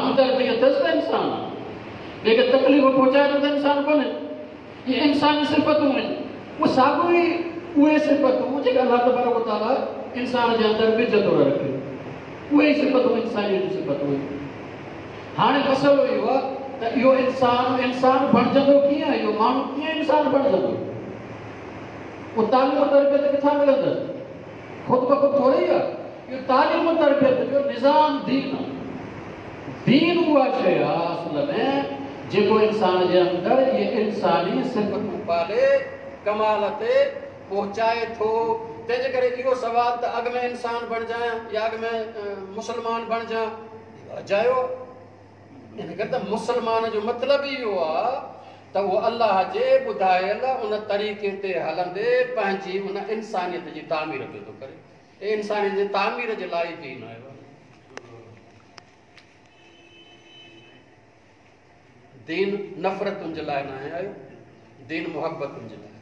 همدردي اٿس ته انسان آهي، ٻئي کي تڪليف پهچائي ٿو ته انسان ڪونهي. اهي انساني صفتون آهن، اهي ساڳيون ئي اهي صفتون جيڪي الله تبارڪ و تعاليٰ انسان جي اندر ٻج طور رکيون، اهي ئي صفتون انسانيت جون صفتون آهن. هاڻي مسئلو اهو آهي ته اهو انسان انسان بڻجندو ڪيئن؟ اهو ماڻهو ڪيئن انسان بڻجندو؟ اهو تعليم و تربيت ڪٿان ملندس؟ خود بخود ٿوري ئي آهي. اهو تعليم و تربيت جو نظام دين آهي. دين اها شيء آهي اصل ۾ جيڪو انسان جي اندر اهي انساني صفتون پالي ڪمال تي پهچائي ٿو. تنهن جي ڪري اهو سوال ته اڳ ۾ انسان بڻجان يا اڳ ۾ مسلمان بڻجان، اهو اجايو آهي. ان ڪري ته مسلمان جو مطلب ئي اهو آهي ته اهو الله جي ٻڌايل ان طريقي تي هلندي پنهنجي ان انسانيت جي تعمير پيو ٿو ڪري. انسانيت جي تعمير جي لاء ئي دين آيو آهي. دين نفرتن جي لاء ناهي آيو، دين محبتن جي لاء،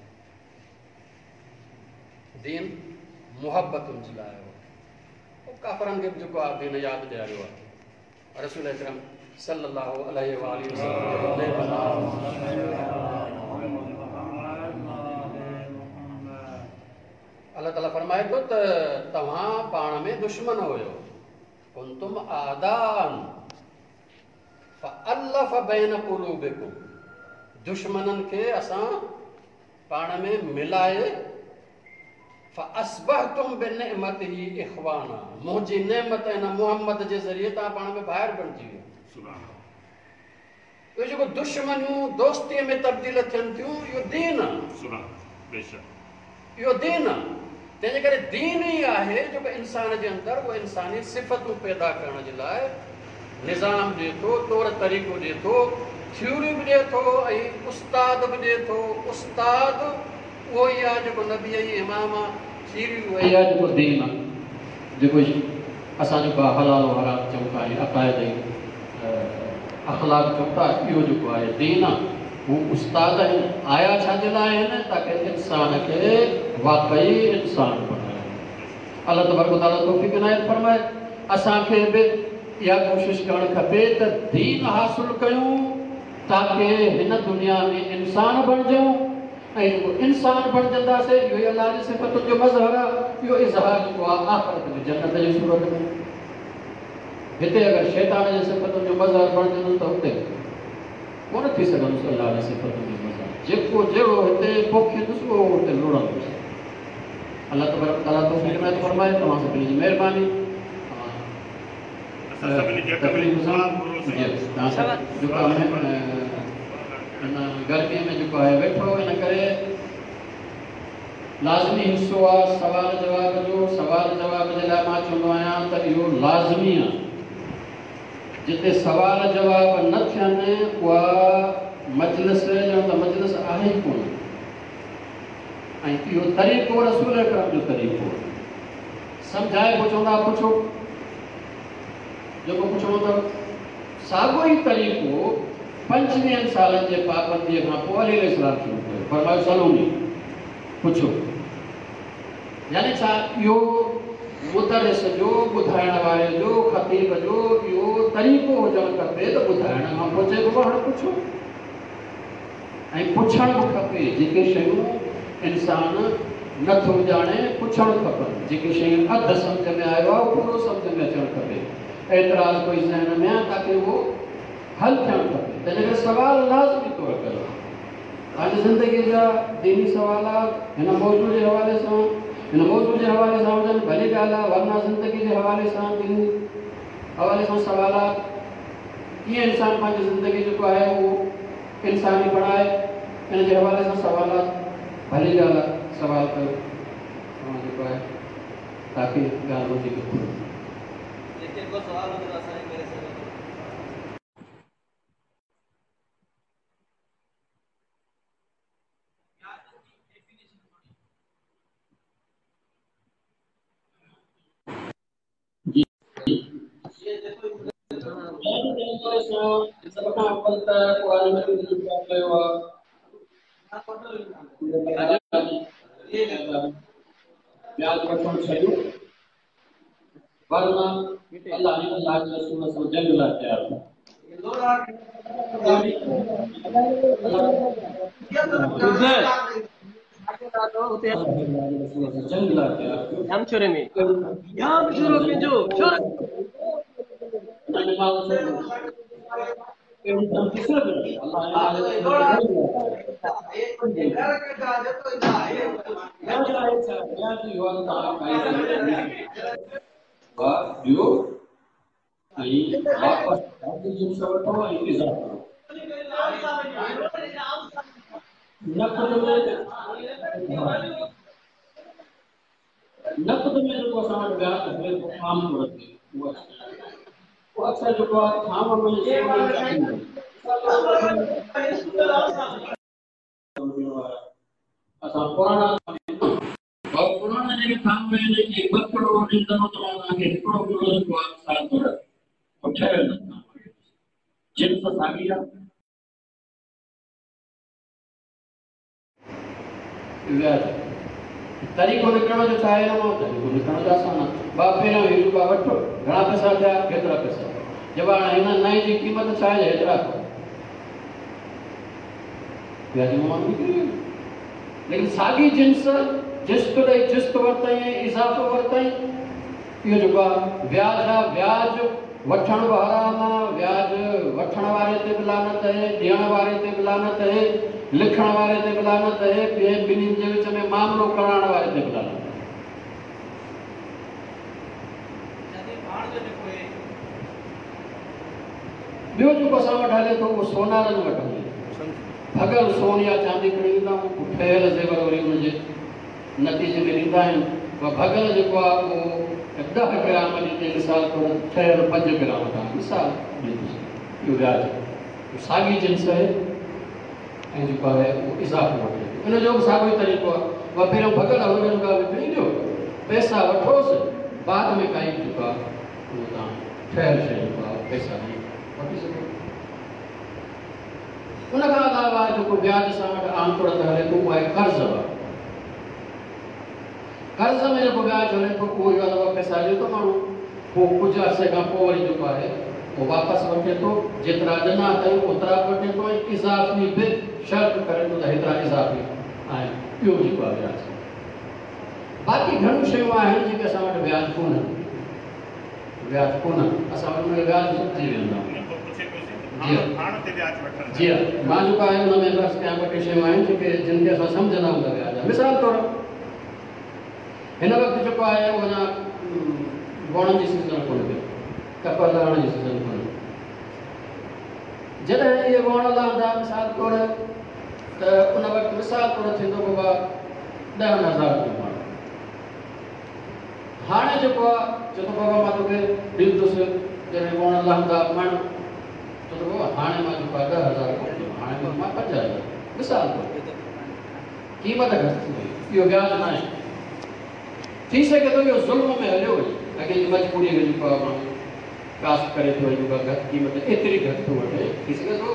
دين محبتن جي لاء آيو آهي. ڪافرن کي به جيڪو آهي دين ياد ڏياريو آهي. رسول اڪرم صلي الله عليه واله وسلم الله تعالي فرمائي ٿو ته توهان پاڻ ۾ دشمن هيو، ڪنتم اعداء فالف بين قلوبڪم، دشمنن کي اسان پاڻ ۾ ملائي، فاصبحتم بنعمته اخوانا، منهنجي نعمت ان محمد جي ذريعي توهان پاڻ ۾ ڀائر بڻجي ويا. اهو جيڪو دشمنيون دوستيء ۾ تبديل ٿين ٿيون، اهو دين آهي. اهو دين آهي. تنهن جي ڪري دين ئي آهي جيڪو انسان جي اندر اهو انساني صفتون پيدا ڪرڻ جي لاء نظام ڏئي ٿو، طور طريقو ڏئي ٿو، ٿيوري به ڏئي ٿو ۽ استاد به ڏئي ٿو. استاد اهو ئي آهي جيڪو نبي ۽ امام آهي، ٿيوري اها ئي آهي جيڪو دين آهي، جيڪو اسان جيڪو آهي حلال و حرام چئون ٿا ۽ عقائد ۽ اخلاق چئون ٿا، اهو جيڪو آهي دين آهي. هو استاد آهن، آيا ڇا جي لاء آهن؟ تاڪه انسان کي واقعي انسان بڻائن. الله تبارڪ و تعاليٰ توفيق عنايت فرمائي. اسان کي به اها ڪوشش ڪرڻ کپي ته دين حاصل ڪيون تاڪه هن دنيا ۾ انسان بڻجون ۽ جيڪو انسان بڻجنداسين اهو ئي الله جي صفتن جو مظهر آهي. اهو اظهار جيڪو آهي آخرت ۾ جنت جي صورت ۾. هتي اگر شيطان جي صفتن جو مظهر بڻجندس ته اتي ڪونه ٿي سگهندس الله جي صفتن جو مظهر. جيڪو جهڙو هتي پوکيندس اهو اتي لڻندس. الله تبارڪ وتعاليٰ توفيق عنايت فرمائي. توهان سڀني جي مهرباني. اسان سڀني جي حق ۾ تڪليف دعا سان گهرو سائين. جي توهان سڀ جيڪو آهي هن گرمي ۾ جيڪو آهي ويٺو ان ڪري لازمي حصو آ سوال جواب جو. سوال جواب جي لاء مان چوندو آهيان ته اهو لازمي آ. جتي سوال جواب نه ٿين اها مجلس ڄڻ ته مجلس آهي ئي ڪونه. ۽ اهو طريقو رسول اڪرم جو طريقو آهي. سمجهائي پوء چوندا ها پڇو جيڪو پڇڻو اٿو. ساڳيو ئي طريقو 25 سالن جي پابنديء کان پوء علي عليه السلام شروع ڪيو. فرمايو سلوني، پڇو. يعني ڇا اهو مدرس جو، ٻڌائڻ واري جو، خطيب جو اهو طريقو هجڻ کپي ته ٻڌائڻ کان پوء چئبو هاڻي پڇو. ۽ پڇڻ به کپي، جيڪي شيون انسان نه ٿو ڄاڻي پڇڻ کپن، جيڪي شيون اڌ سمجهه ۾ آيو آهي اهو پورو سمجهه ۾ اچڻ کپي، اعتراض ڪوئي ذهن ۾ آهي تاڪه اهو حل ٿيڻ کپي، تنهن ڪري سوال لازمي طور ڪيو. پنهنجي زندگيء جا ديني سوالات هن موضوع جي حوالي سان هن موضوع جي حوالي سان هجن ڀلي ڳالهه آهي، ورنه زندگي جي حوالي سان ديني حوالي سان سوالات ڪيئن انسان پنهنجي زندگي جيڪو آهي اهو انساني بڻائي ان جي حوالي سان سوالات ڀلي ڳالهه آهي سوال ڪيو توهان جيڪو آهي تاڪه ڳالهه وڌيڪ کلي. جيڪي ڪو سوال هجي ته اسان کي ڪري سگهو ٿا. سڀ کان اول ته قرآن مجيد جو ذڪر ڪيو آهي. وياج وٺڻ ڇڏيو، ورنه الله ۽ الله جي رسول سان جنگ لاء تيار ٿيو. جنگ لاء تيار ٿيو. ڏيو ۽ واپس جنس وٺو ۽ اضافو نقد ۾، نقد ۾ جيڪو اسان وٽ وياج هلي ٿو عام طور تي اهو اڪثر جيڪو آهي ٿانو ۾ اسان پراڻا پراڻا جيڪي ٿانو آهن اهي 2 ڪلو ڏيندو ته مان توهان کي 1 ڪلو جيڪو آهي مثال طور ٺهيل جنس ساڳي آهي. وياج طريقو نڪرڻ جو ڇا آهي؟ هن مان طريقو نڪرڻ جو آسان آهي. ٻه پهريون هي روپيا وٺ، گهڻا پئسا ٿيا؟ هيترا پئسا. جب هاڻي هن نئين جي قيمت ڇا آهي؟ هيترا. وياج مان ماڻهو نڪري ويو. ليڪن ساڳي جنس جست ڏئي جست ورتائين ۽ اضافو ورتائين، اهو جيڪو آهي وياج آهي. وياج وٺڻ به حرام آهي، وياج وٺڻ واري تي به لعنت آهي، ڏيڻ واري تي به لعنت آهي، لکڻ واري تي به لعنت آهي، ٻئي ٻنهين جي وچ ۾ معاملو ڪرائڻ واري تي به لعنت آهي. ٻيو جيڪو اسان وٽ هلي ٿو اهو سونارن وٽ هلي ٿو. ڀڳل سون يا چاندي کڻي ايندا آهيون، پوء ٺهيل زيور وري ان جي نتيجي ۾ ڏيندا آهن. اها ڀڳل جيڪو آهي اهو 10 گرام ڏيندي مثال طور ٺهيل 5 گرام تان مثال ڏئي ٿو سگهان. اهو وياج آهي. اهو ساڳي جنس آهي ۽ جيڪو آهي اهو اضافو وٺي ٿو. ان جو به ساڳيو ئي طريقو آهي. اها پهريون ڀڳل هن کي جيڪو آهي وڪڻي ڏيو، پئسا وٺوس، بعد ۾ ڪائي به جيڪو آهي اهو توهان ٺهيل شيء جيڪو آهي پئسا ڏئي وٺي سگهو. ان کان علاوه جيڪو وياج اسان وٽ عام طور تي هلي ٿو اهو آهي قرض وارو. قرض ۾ جيڪو وياج هلي ٿو اهو اهو آهي ته پئسا ڏئي ٿو ماڻهو، پوء ڪجهه عرصي کان پوء وري جيڪو آهي اهو واپس وٺي ٿو، جيترا ڏنا اٿئي اوترا به وٺي ٿو ۽ اضافي به شرط ڪري ٿو ته هيترا اضافي آهن، اهو جيڪو آهي وياج. باقي گهڻيون شيون آهن جيڪي اسان وٽ وياج ڪونهن، وياج ڪونهن، اسان وٽ ان کي وياج سمجهي ويندا آهيون. جي جي مان جيڪو آهي ان ۾ به عرض ڪيان ٻه ٽي شيون آهن جيڪي جن کي اسان سمجهندا آهيون ته وياج آهي. مثال طور هن وقت جيڪو آهي اهو اڃا ووڻن جي سيزن ڪونهي پئي، ڪپهه لهڻ جي سيزن ڪونهي. جڏهن اهي ووڻ لهندا مثال طور ته ان وقت مثال طور ٿيندو بابا 10,000 رپيو مڻ. هاڻي جيڪو آ چئي ٿو بابا مان توکي ڏيندس جڏهن ووڻ لهندا مڻ، چئي ٿو بابا هاڻي مان جيڪو آ 10,000 ڪونه ڏيندم، هاڻي ڏيندومانء 5,000 مثال طور قيمت گهٽ ٿي وئي، اهو وياج ناهي. ٿي سگهي ٿو اهو ظلم ۾ هليو وڃي، اڳي جي مجبوريء کي جيڪو آ ماڻهو ڪاسٽ ڪري ٿو ۽ جيڪو آ گهٽ قيمت ايتري گهٽ ٿو وٺي، ٿي سگهي ٿو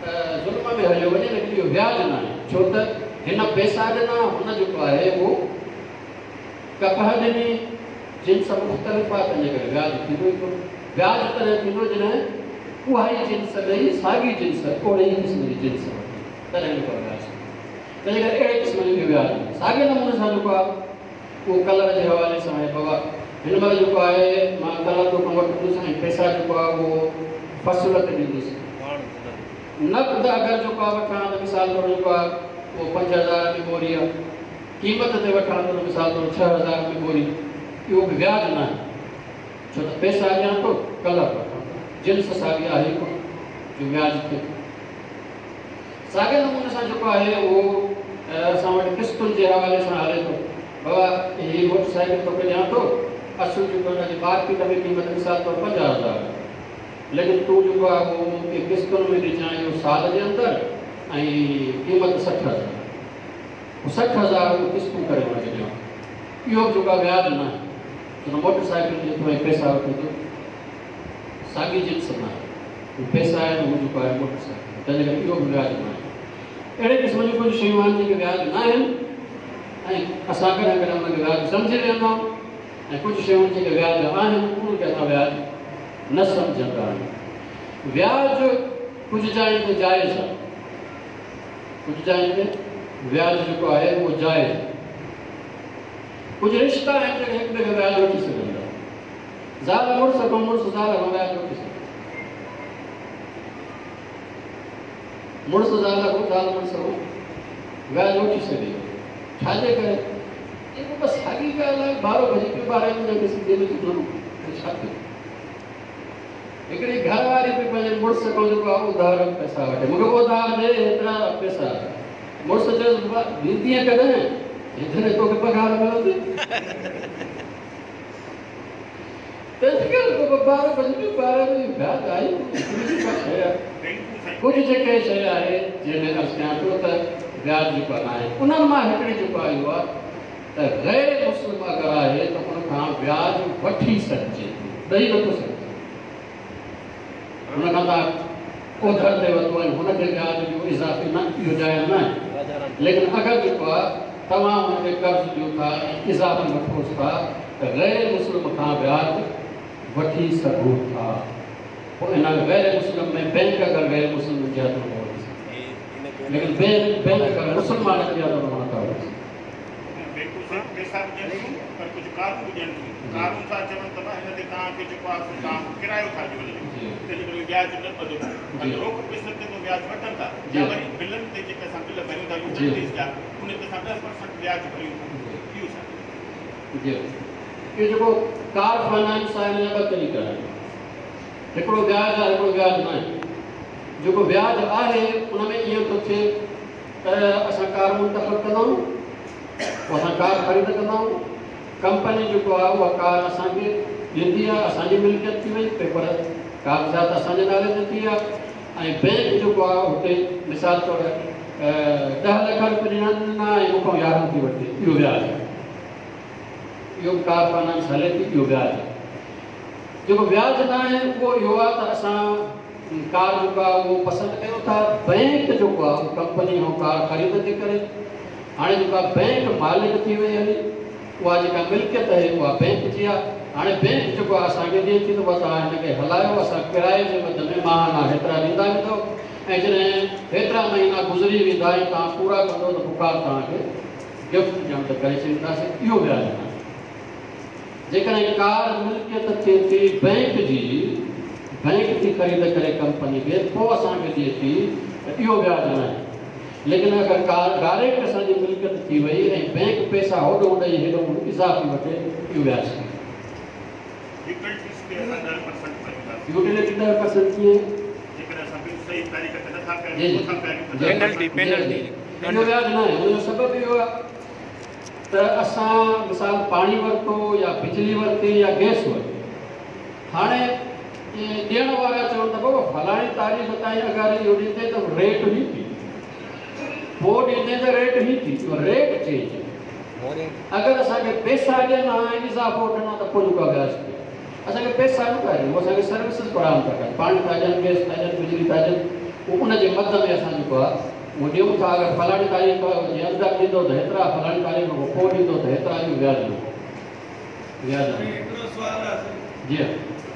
ته ظلم ۾ هليو وڃي، ليڪن اهو وياج ناهي، ڇو ته هن پئسا ڏنا، هن جيڪو آهي اهو ڪپهه ڏني، جنس مختلف آهي، تنهنجي ڪري وياج ٿيندو ئي ڪونه. وياج تڏهن ٿيندو جڏهن اها ئي جنس ڏئي ساڳي جنس اوهڙي ئي قسم جي جنس وٺي، تڏهن جيڪو آهي وياج ٿيندو. تنهنجي ڪري اهڙي قسم جو اهو وياج ناهي. ساڳئي نموني سان جيڪو آهي اهو ڪلر جي حوالي سان آهي. بابا هن مهل جيڪو آهي مان ڪلر توکان وٺندس ۽ پئسا جيڪو آهي اهو فصل تي ڏيندس. نقد اگر جيڪو آهي وٺان ته مثال طور جيڪو آهي اهو 5,000 ۾ ٻوري آهي. قيمت تي وٺان ٿو ته مثال طور 6,000 ۾ ٻوري، اهو به وياج ناهي، ڇو ته پئسا ڏيان ٿو ڪلر وٺان ٿو، جنس ساڳي آهي ئي ڪونه جو وياج ٿئي. ساڳئي نموني سان جيڪو آهي اهو اسان وٽ قسطن جي حوالي سان هلي ٿو. بابا هي موٽر سائيڪل توکي ڏيان ٿو، اصل جيڪو هن جي مارڪيٽ ۾ قيمت مثال طور 50,000 آهي، ليڪن تون جيڪو آهي اهو مون کي قسطن ۾ ڏجانء اهو سال جي اندر ۽ قيمت 60,000. پوء 60,000 اهو قسطون ڪري هن کي ڏيڻو. اهو به جيڪو آهي وياج ناهي، ڇو ته موٽر سائيڪل ڏئي ٿو ۽ پئسا وٺي ٿو، ساڳي جنس ناهي. هو پئسا آهن، هو جيڪو آهي موٽر سائيڪل، تنهن جي ڪري اهو به وياج ناهي. اهڙي قسم جون ڪجهه شيون آهن جيڪي وياج ناهن ۽ اسان ڪڏهن ڪڏهن ان کي وياج سمجهي ويهندا آهيون. ۽ ڪجهه شيون جيڪي وياج آهن انهن کي اسان وياج نه سمجهندا آهيون. وياج ڪجهه جاين تي جائز آهي، ڪجهه جاين تي وياج جيڪو آهي اهو جائز آهي. ڪجهه رشتا آهن جيڪي هڪ ٻئي کان وياج وٺي سگهن ٿا. زال مڙس کان، مڙس زال کان وياج وٺي سگهي ٿو. مڙس زال کان، زال مڙس کان وياج وٺي سگهي ٿو. ڇا جي ڪري؟ اهو بس ساڳي ڳالهه آهي، ٻارو ڀڄي پيو ٻارهن ئي منهنجا کي سنڌيء ۾ چوندو هو ڇا ٿيو؟ هڪڙي گهر واري به پنهنجي مڙس کان جيڪو آهي اڌار پئسا وٺي، مون کي اڌار ڏي هيترا پئسا. مڙس چيس بابا ڏيندينء ڪڏهن؟ جڏهن توکي پگهار ملندي. تنهن ڪري بابا ٻارو ڀڄي پيو ٻارهن ئي وياج آهي هڪڙي جيڪا شيء آهي. ڪجهه جيڪي شيء آهي جنهن ۾ عرض ڪيان پيو ته وياج جيڪو آهي ناهي انهن مان هڪڙي جيڪو آهي اهو آهي ته غير مسلم اگر آهي ته ان کان وياج وٺي سگهجي ٿو ڏئي نٿو سگهجي. هن کان توهان اوڌر تي ورتو ۽ هن کي وياج ڏيو اضافي نه اهو جائز ناهي ليڪن اگر جيڪو آهي توهان هن کي قرض ڏيو ٿا ۽ اضافي وٺوس ٿا ته غير مسلم کان وياج وٺي سگهو ٿا. پوء ان غير مسلم ۾ بئنڪ اگر غير مسلم هجي ها ته ان کان وٺي سگهجي ليڪن بئنڪ اگر مسلمان هجي ها ته ان کان نٿا وٺي سگهون. بئنڪون صرف پئسا به ڏين ٿيون پر ڪجهه ڪارون به ڏين ٿيون. ڪارون ٿا چون ته ڀاء هن تي توهان کي جيڪو آهي سو توهان ڪرايو ٿا ڏيو هن جو تنهن جي ڪري وياج نه ٻڌبو. باقي روڪ پئسن تي ته وياج وٺن ٿا يا وري بلن تي جيڪي اسان بل ڀريون ٿا يوٽيلٽيز جا ان تي اسان 10% وياج ڀريون ٿا اهو ڇا؟ جي اهو جيڪو ڪار فنانس آهي ان جا ٻه طريقا آهن. هڪڙو وياج آهي هڪڙو وياج ناهي. جيڪو وياج آهي ان ۾ ائين ٿو ٿئي ته اسان ڪار منتخب ڪندا آهيون پوء اسان ڪار خريد ڪندا آهيون ڪمپني جيڪو آهي اها ڪار اسان کي ڏيندي آهي اسان جي ملڪيت ٿي وئي پيپر ڪاغذات اسان جي نالي تي ٿي ويا ۽ بئنڪ جيڪو آهي اتي مثال طور 10 لک روپيه ڏنا ڏنا ۽ مون کان 11 ٿي وٺي اهو وياج آهي. اهو به ڪار فنانس هلي ٿي اهو وياج آهي. جيڪو وياج نه آهي اهو اهو آهي ته اسان ڪار جيڪو آهي اهو پسند ڪيون ٿا بئنڪ جيڪو آهي اهو ڪمپني کان ڪار خريد ٿي ڪري هاڻي جيڪو آهي بئنڪ مالڪ ٿي وئي هلي اها جيڪا ملڪيت آهي اها بئنڪ جي آهي هاڻي بئنڪ جيڪو آهي اسان کي ڏئي ٿي ته بابا توهان هن کي هلايو اسان ڪرائي جي مد ۾ ماهانه هيترا ڏيندا ويندؤ ۽ جڏهن هيترا مهينا گذري ويندا ۽ توهان پورا ڪندؤ ته پوء ڪار توهان کي گفٽ ڄڻ ته ڪري ڇڏينداسين اهو وياج ناهي. جيڪڏهن ڪار ملڪيت ٿئي ٿي بئنڪ جي، بئنڪ ٿي خريد ڪري ڪمپني کي پوء اسان کي ڏئي ٿي ته اهو وياج ناهي. ليڪن اگر ڪار ڊائريڪٽ اسان جي ملڪيت ٿي وئي ۽ بئنڪ پئسا هوڏهون ڏئي هيڏهون اضافي وٺي اهو وياج ٿي ويو. يوٽيلٽيز تي اسان 10% ڀريون ٿا. يوٽيلٽي 10% ڪيئن؟ جيڪڏهن اسان بل صحيح تاريخ تي نٿا پياريون، ڇو ٿا پياريون ته 10% پينلٽي. اهو وياج ناهي ان جو سبب اهو آهي ته اسان مثال پاڻي ورتو يا بجلي ورتي يا گئس ورتي هاڻي ڏيڻ وارا چون ته بابا فلاڻي تاريخ تائين اگر اهو ڏيندين ته ريٽ هي ٿي پوء ڏيندين ته ريٽ هي ٿي اهو ريٽ چينج اگر اسان کي پئسا ڏين ها ۽ اضافو وٺن ها ته پوء جيڪو آهي وياج ٿئي اسان کي پئسا نه ٿا ڏين هو اسان کي سروسز فراهم ٿا ڪن پاڻي ٿا ڏين گئس ٿا ڏين بجلي ٿا ڏين پوء ان جي مد ۾ اسان جيڪو آهي اهو ڏيون ٿا اگر فلاڻي تاريخ جي اندر ڏيندو ته هيترا فلاڻي تاريخ کان پوء ڏيندو ته هيترا اهو وياج نه وياج نه. هڪڙو سوال آهي سائين. جي ها.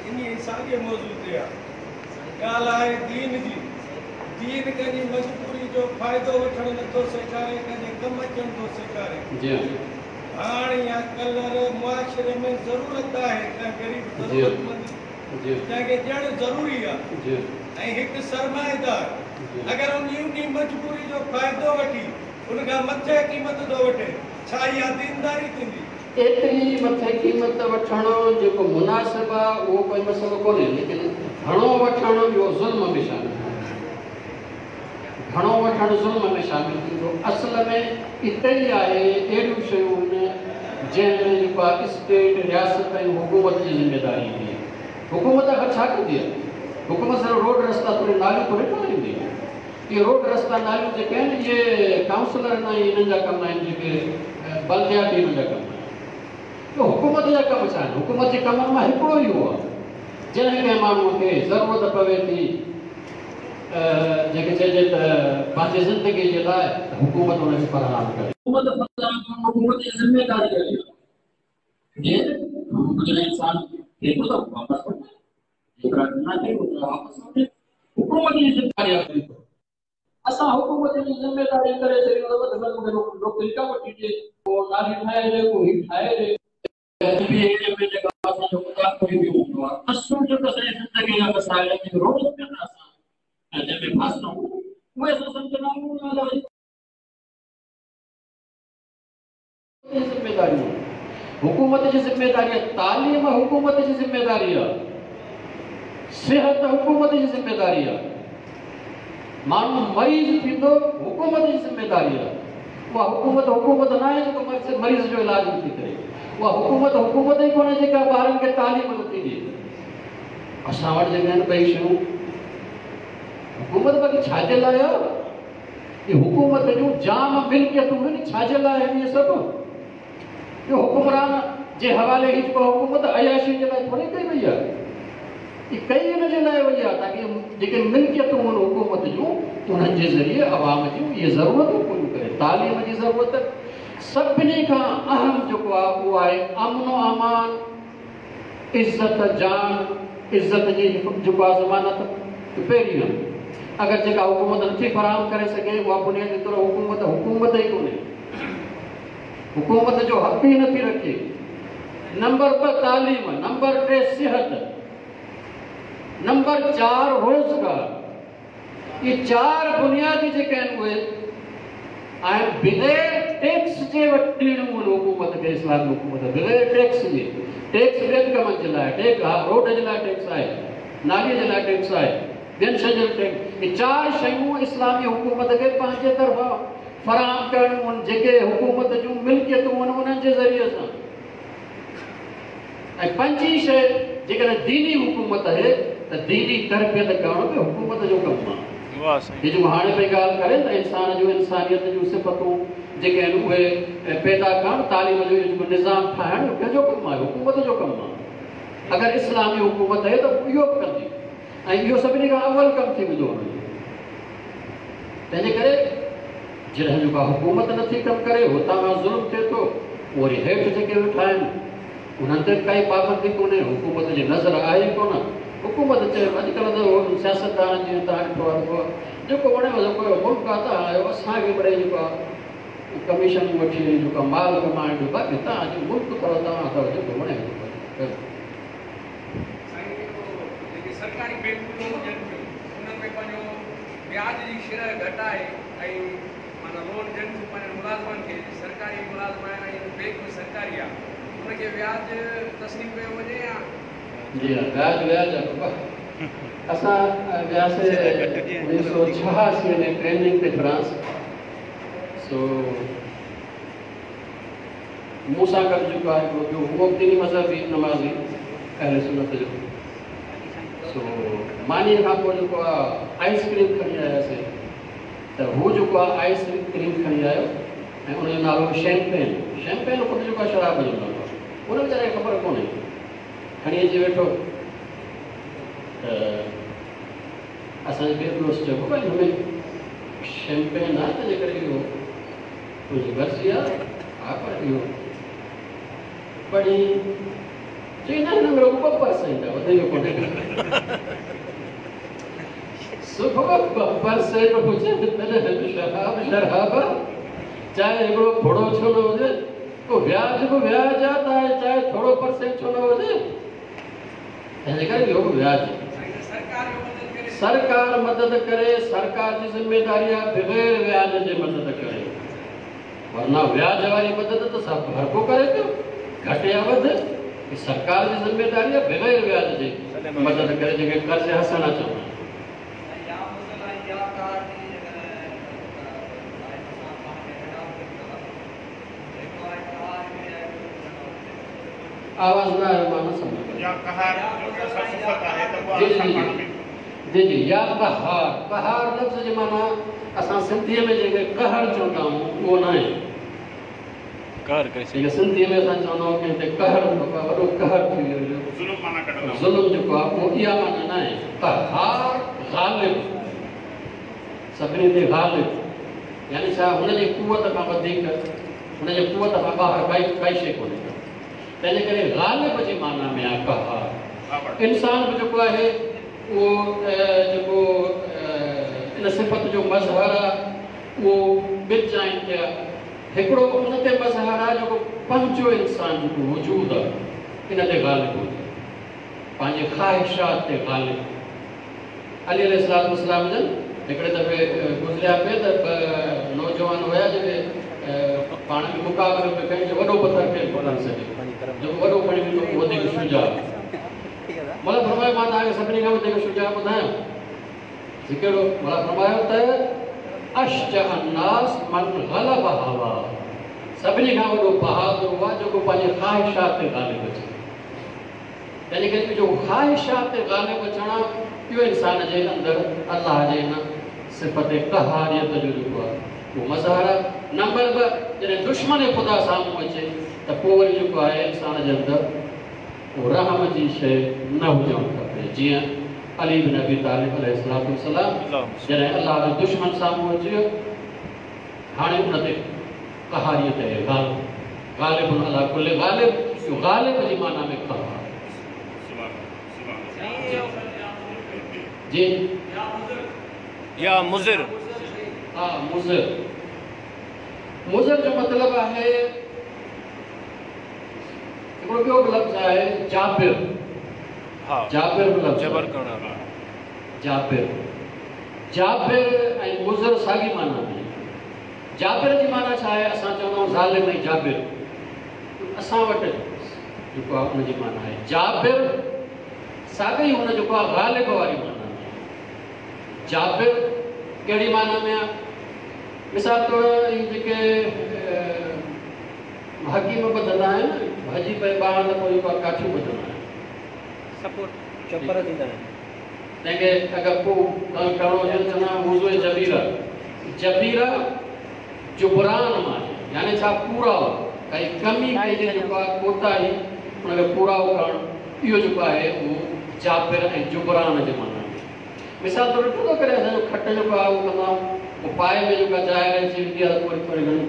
انهي ساڳئي موضوع تي آهي. ڳالهه آهي دين جي. دين ڪنهن جي مجبوري جو فائدو وٺڻ نه ٿو سيکاري ڪنهن جي ڪم اچڻ ٿو سيکاري. جي ها. ڀاڻ يا ڪلر معاشري ۾ ضرورت آهي ڪنهن غريب ضرورتمند جي جنهن کي ڏيڻ ضروري آهي ۽ هڪ سرمائيدار اگر انهي مجبوري جو فائدو وٺي ان کان مٿي قيمت ٿو وٺي ڇا اها دينداري ٿيندي؟ ايتري مٿي قيمت وٺڻ جيڪو مناسب آهي اهو ڪوئي مسئلو ڪونهي ليڪن گهڻو وٺڻ اهو ظلم ۾ شامل ٿيندو. گهڻو وٺڻ ظلم ۾ شامل ٿيندو. اصل ۾ اتي ئي آهي اهڙيون شيون آهن جنهن ۾ جيڪو آهي اسٽيٽ، رياست ۽ حڪومت جي ذميداري ايندي آهي. حڪومت آخر ڇا ڪندي آهي؟ حڪومت صرف روڊ رستا توڙي ناليون ٿوري ٺهرائيندي آهي. اهي روڊ رستا ناليون جيڪي آهن اهي ڪائونسلرن ۽ انهن جا ڪم آهن جيڪي بلدياتي انهن جا ڪم آهن. اهو حڪومت جا ڪم ڇا آهن؟ حڪومت جي ڪمن مان هڪڙو اهو آهي جڏهن ڪنهن ماڻهوء کي ضرورت پوي ٿي جنهن کي چئجي ته پنهنجي زندگي جي لاء ته حڪومت ان کي فراهم ڪري. حڪومت فراهم ڪرڻ حڪومت جي ذميواري آهي. جي جڏهن انسان ٿئي ٿو ته واپس وٺي، جيترا ڏنا اٿئي اوترا واپس وٺي. حڪومت جي ذميواري آهي. اسان حڪومت جي ذميواري ڪري ڇڏيون ته وڌ ۾ وڌ مون کي نوڪري ڪا وٺي ڏي، ڪو نالي ٺاهي ڏي، ڪو هي ٺاهي ڏي. اسان جو مطالبو ئي اهو هوندو آهي. اصل جيڪو اسان جي زندگيء جا مسائل آهن، جيڪي روز پيا ٿا اسان جنهن ۾ ڦاسون، اهي اسان سمجهندا آهيون الله جي ذميداريون حڪومت جي ذميداري آهي، تعليم حڪومت جي ذميداري آهي، صحت حڪومت جي ذميداري آهي، ماڻهو مريض ٿيندو حڪومت جي ذميداري آهي. اها حڪومت حڪومت ناهي جيڪو مريض جو علاج نٿي ڪري. اها حڪومت حڪومت ئي ڪونهي جيڪا ٻارن کي تعليم نٿي ڏئي. اسان وٽ جيڪي آهن ٻئي شيون حڪومت باقي ڇا جي لاء آهي؟ اهي حڪومت جون جام ملڪيتون آهن، ڇا جي لاء آهن اهي سڀ؟ اهو حڪمران جي حوالي هي جيڪو حڪومت عياشي جي لاء ٿوري ڪئي وئي آهي. اهي ڪئي ان جي لاء وئي آهي تاڪه جيڪي ملڪيتون آهن حڪومت جون انهن جي ذريعي عوام جون اهي ضرورتون پوريون ڪري. تعليم جي ضرورت سڀني کان اهم جيڪو آهي اهو آهي امن و امان، عزت جان، عزت جي جيڪو آهي ضمانت پهرين آهي. اگر جيڪا حڪومت نٿي فراهم ڪري سگهي اها بنيادي طور حڪومت حڪومت ئي ڪونهي. حڪومت جو حق ئي نٿي رکي. نمبر 2 تعليم، نمبر 3 صحت، نمبر 4 روزگار. اهي چار بنيادي جيڪي آهن اهي آهن بغير ٽيڪس جي وٽ ڏيڻيون آهن حڪومت کي اسلامي حڪومت بغير ٽيڪس جي ٽيڪس ٻين ڪمن جي لاء ٽيڪس ها روڊ جي لاء ٽيڪس آهي نالي جي لاء ٽيڪس آهي ٻين شين جي لاء ٽيڪس اهي چار شيون اسلامي حڪومت کي پنهنجي طرفان فراهم ڪرڻيون آهن جيڪي حڪومت جون ملڪيتون آهن انهن جي ذريعي سان ۽ پنجين شيء جيڪڏهن ديني حڪومت اهي ته ديني تربيت ڪرڻ به حڪومت جو ڪم آهي. هي جيڪو هاڻي پئي ڳالهه ڪري ته انسان جون انسانيت جون صفتون جيڪي آهن اهي پيدا ڪرڻ، تعليم جو اهو جيڪو نظام ٺاهڻ اهو ڪنهن جو ڪم آهي؟ حڪومت جو ڪم آهي. اگر اسلامي حڪومت اهي ته اهو به ڪندي ۽ اهو سڀني کان اول ڪم ٿي ويندو هن جو. تنهنجي ڪري جڏهن جو ڪا حڪومت نٿي ڪم ڪري، هتان کان ظلم ٿئي ٿو، پوء وري هيٺ جيڪي ويٺا آهن، انهن تي به ڪائي پابندي ڪونهي، حڪومت جي نظر آهي ئي ڪونه. حڪومت چئي، اڄڪلهه ته سياستدان جيئن توهان ڏٺو آهي ته جيڪو وڻيو جيڪو ملڪ آهي توهان آهيو، اسان کي مڙئي جيڪو آهي ڪميشنون وٺي ۽ جيڪو آهي مال ڪمائڻ ڏيو، باقي توهان جو ملڪ اٿو، توهان اٿو، جيڪو وڻيو جيڪو ڪيو. سائين جيڪي سرڪاري بينڪون لون ڏين ٿيون انهن ۾ پنهنجو وياج جي شرح گهٽائي ۽ معنيٰ لون ڏين ٿيون پنهنجن ملازمن کي جي سرڪاري ملازم آهن ۽ بينڪ به سرڪاري آهي ان کي وياج تسليم ڪيو وڃي يا. جي ها وياج وياج آهي بابا اسان وياسي 1986 ۾ ٽريننگ تي فرانس سو مون سان گڏ جيڪو آهي هڪڙو ٻيو هو به ديني مذهبي نمازي اهل سنت جو سو مانيء کان پوء جيڪو آهي آئس ڪريم کڻي آياسي ته هو جيڪو آهي آئس ڪريم کڻي آيو ۽ ان جو نالو هو شيمپين شيمپين خود جيڪو آهي شراب جو نالو آهي ان ويچاري کي خبر ڪونهي کڻي اچي ويٺو ته اسان جي ٻئي دوست چيو بابا هن ۾ شيمپين آهي تنهنجي ڪري اهو تنهنجي مرضي آهي ها پر اهو پڙهي چئي نه هن ۾ رڳو 2% آهي وڌيڪ ڪونهي صبح 2% هجي تڏهن به شراب شراب آهي چاهي هڪڙو ڦڙو ڇو نه هجي پوء وياج به وياج آهي چاهي ٿورو پرسينٽ ڇو نه هجي تنهنجي ڪري اهو به وياج سرڪار مدد ڪري سرڪار جي ذميداري آهي بغير وياج جي مدد ڪري ورنه وياج واري مدد ته سڀ هر ڪو ڪري پيو گهٽ يا وڌ هي سرڪار جي ذميداري آهي بغير وياج جي مدد ڪري جنهن کي قرض حسنه چوندا آهن. آواز نه آيو مان نه سمجهيو. يا قهار جو ڪي اسان صفت آهي ته اها جي جي اسان جي پاڻ ۾. جي جي يا قهار قهار لفظ جي معنيٰ اسان سنڌيء ۾ جنهن کي قهر چوندا آهيون اهو ناهي. قهر ڪري جيڪي سنڌيء ۾ اسان چوندا آهيون ڪنهن تي قهر بابا وڏو قهر ٿي ويو جو ظلم معنيٰ ڪڍندا آهيون. ظلم جيڪو آهي اهو اها معنيٰ ناهي. قهار غالب سڀني تي غالب يعني ڇا هن جي قوت کان وڌيڪ هن جي قوت کان ٻاهر ڪائي ڪائي شيء ڪونهي ڪا. تنهنجي ڪري غالب جي معنيٰ ۾ آهي قهار. انسان به جيڪو آهي اهو جيڪو ان صفت جو مظهر آهي اهو ٻن جاين تي آهي. هڪڙو ان تي مظهر آهي جيڪو پنهنجو انسان جيڪو وجود آهي ان تي غالب هجي، پنهنجي خواهشات تي غالب. علي عليه الصلوة والسلام جن هڪڙي دفعي گذريا پئي ته ٻه نوجوان هيا جيڪي پاڻ ۾ مقابلو پئي ڪن جو وڏو پٿر ڪير ٿو کڻي سگهي، جيڪو وڏو کڻي ويندو اهو وڌيڪ شجاع. مولا فرمايو مان توهان کي سڀني کان وڌيڪ شجاع ٻڌايان؟ چي ڪهڙو؟ مولا فرمايو ته اشجع الناس من غلب هواه، سڀني کان وڏو بهادر اهو آهي جيڪو پنهنجي خواهشات تي غالب اچي. تنهنجي ڪري جو خواهشات تي غالب اچڻ آهي اهو انسان جي اندر الله جي ان صفت قهاريت جو جيڪو آهي اهو مظهر آهي. نمبر 2 جڏهن دشمن خدا سامهون اچي ته پوء وري جيڪو آهي انسان جي اندر اهو رحم جي شيء نه هجڻ کپي جيئن علي بن ابي طالب عليه الصلوة والسلام جڏهن الله جو دشمن سامهون اچي ويو هاڻي ان تي قهاريت آهي غالب، غالب علي ڪل غالب، اهو غالب جي معنيٰ ۾ قهار. جي يا مضر. ها مضر، مضر جو مطلب آهي هڪڙو ٻيو به لفظ آهي جابر، جابر به لفظ جبر ڪرڻ وارو. جابر، جابر ۽ مضر ساڳي معنيٰ ۾ آهن. جابر جي معنيٰ ڇا آهي؟ اسان چوندا آهيون ظالم ۽ جابر. اسان وٽ جيڪو آهي ان جي معنيٰ آهي جابر، ساڳئي هن جيڪو آهي غالب واري معنيٰ ۾ آهي. جابر ڪهڙي معنيٰ ۾ آهي؟ مثال طور اهي جيڪي حڪيم ٻڌندا آهن، ڀڄي پئي ٻانهن ته پوء جيڪو آهي ڪاٺيون ٻڌندا آهن. سپورٽ چپر ڏيندا آهن. تنهن کي اگر ڪو ڪم ڪرڻو هجي ته چوندا آهن موضوع جبيره. جبيره جبران مان آهي يعني ڇا پورائو، ڪائي ڪمي ڪنهن جي جيڪو آهي ڪوتاهي ان کي پورائو ڪرڻ اهو جيڪو آهي اهو جابر ۽ جبران جي معنيٰ ۾. مثال طور ڏٺو اٿو ڪڏهن اسان جو کٽ جيڪو آهي اهو ڪندا آهيون پوء پائي ۾ جيڪا جاء رهجي ويندي آهي ته پوء وري ٿوري گهڻي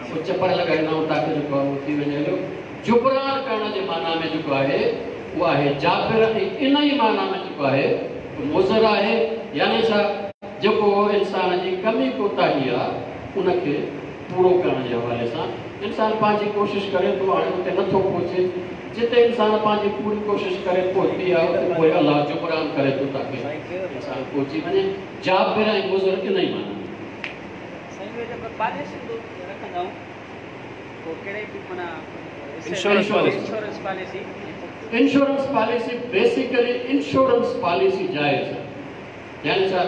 پوء چپر لڳائيندا آهيون تاڪه جيڪو آهي اهو ٿي وڃي هليو. جبران ڪرڻ جي معنيٰ ۾ جيڪو آهي اهو آهي جابر ۽ ان ئي معنيٰ ۾ جيڪو آهي اهو مضر آهي يعني ڇا جيڪو انسان جي ڪمي ڪوتاهي آ ان کي پورو ڪرڻ جي حوالي سان انسان پنهنجي ڪوشش ڪري ٿو هاڻي اتي نٿو پهچي جتي انسان پنهنجي پوري ڪوشش ڪري پهتي آ اتي پوء الله جبران ڪري ٿو تاڪه انسان پهچي وڃي جابر ۽ مضر ان ئي معنيٰ ۾. سائين اهي جيڪو پاليسيون رکندا آهيون پوء ڪهڙي به معنيٰ insurance policy. Insurance policy. Insurance policy basically insurance policy جائز آهي يعني ڇا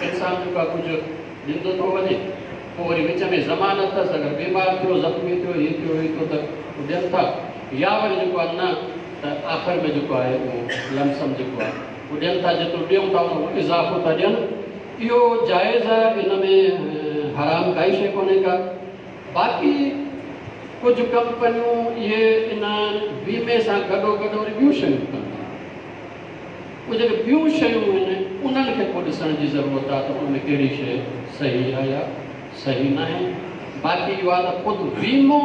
انسان جيڪو آهي ڪجهه ڏيندو ٿو وڃي پوء وري وچ ۾ ضمانت اٿس اگر بيمار ٿيو زخمي ٿيو هي ٿيو هي ٿيو ته هو ڏين ٿا يا وري جيڪو آهي نه ته آخر ۾ جيڪو آهي اهو لمسم جيڪو آهي اهو ڏين ٿا جيترو ڏيون ٿا ان کان اضافو ٿا ڏين اهو جائز آهي ان ۾ حرام ڪائي شيء ڪونهي ڪا. باقي ڪجهه ڪمپنيون اهي ان ويمي سان گڏوگڏ وري ٻيون شيون به ڪن ٿيون. اهي جيڪي ٻيون شيون آهن انهن کي پوء ڏسڻ جي ضرورت آهي ته ان ۾ ڪهڙي شيء صحيح آهي يا صحيح ناهي. باقي اهو آهي ته خود ويمو،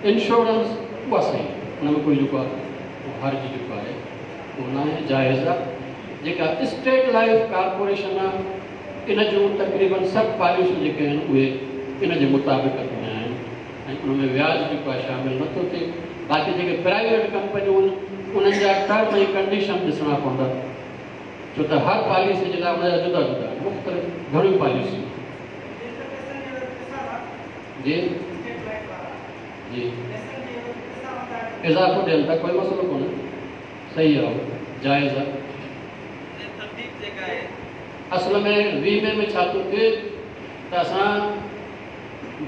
انشورنس، اها صحيح آهي ان ۾ ڪوئي جيڪو آهي اهو حرج جيڪو آهي اهو ناهي، جائز آهي. جيڪا اسٽيٽ لائيف ڪارپوريشن آهي ان جون تقريبن سڀ پاليسيون جيڪي آهن اهي ان جي مطابقت ۾ آهن ۽ ان ۾ وياج جيڪو آهي شامل نه ٿو ٿئي. باقي جيڪي پرائيويٽ ڪمپنيون آهن انهن جا ٽرم ۽ ڪنڊيشن ڏسڻا پوندا ڇو ته هر پاليسي جي لاء ان جا جدا جدا آهن مختلف گهڻيون پاليسيون جي جي اضافو ڏين ٿا ڪوئي مسئلو ڪونهي صحيح آهي جائز آهي. اصل ۾ ويمي ۾ ڇا ٿو ٿئي ته اسان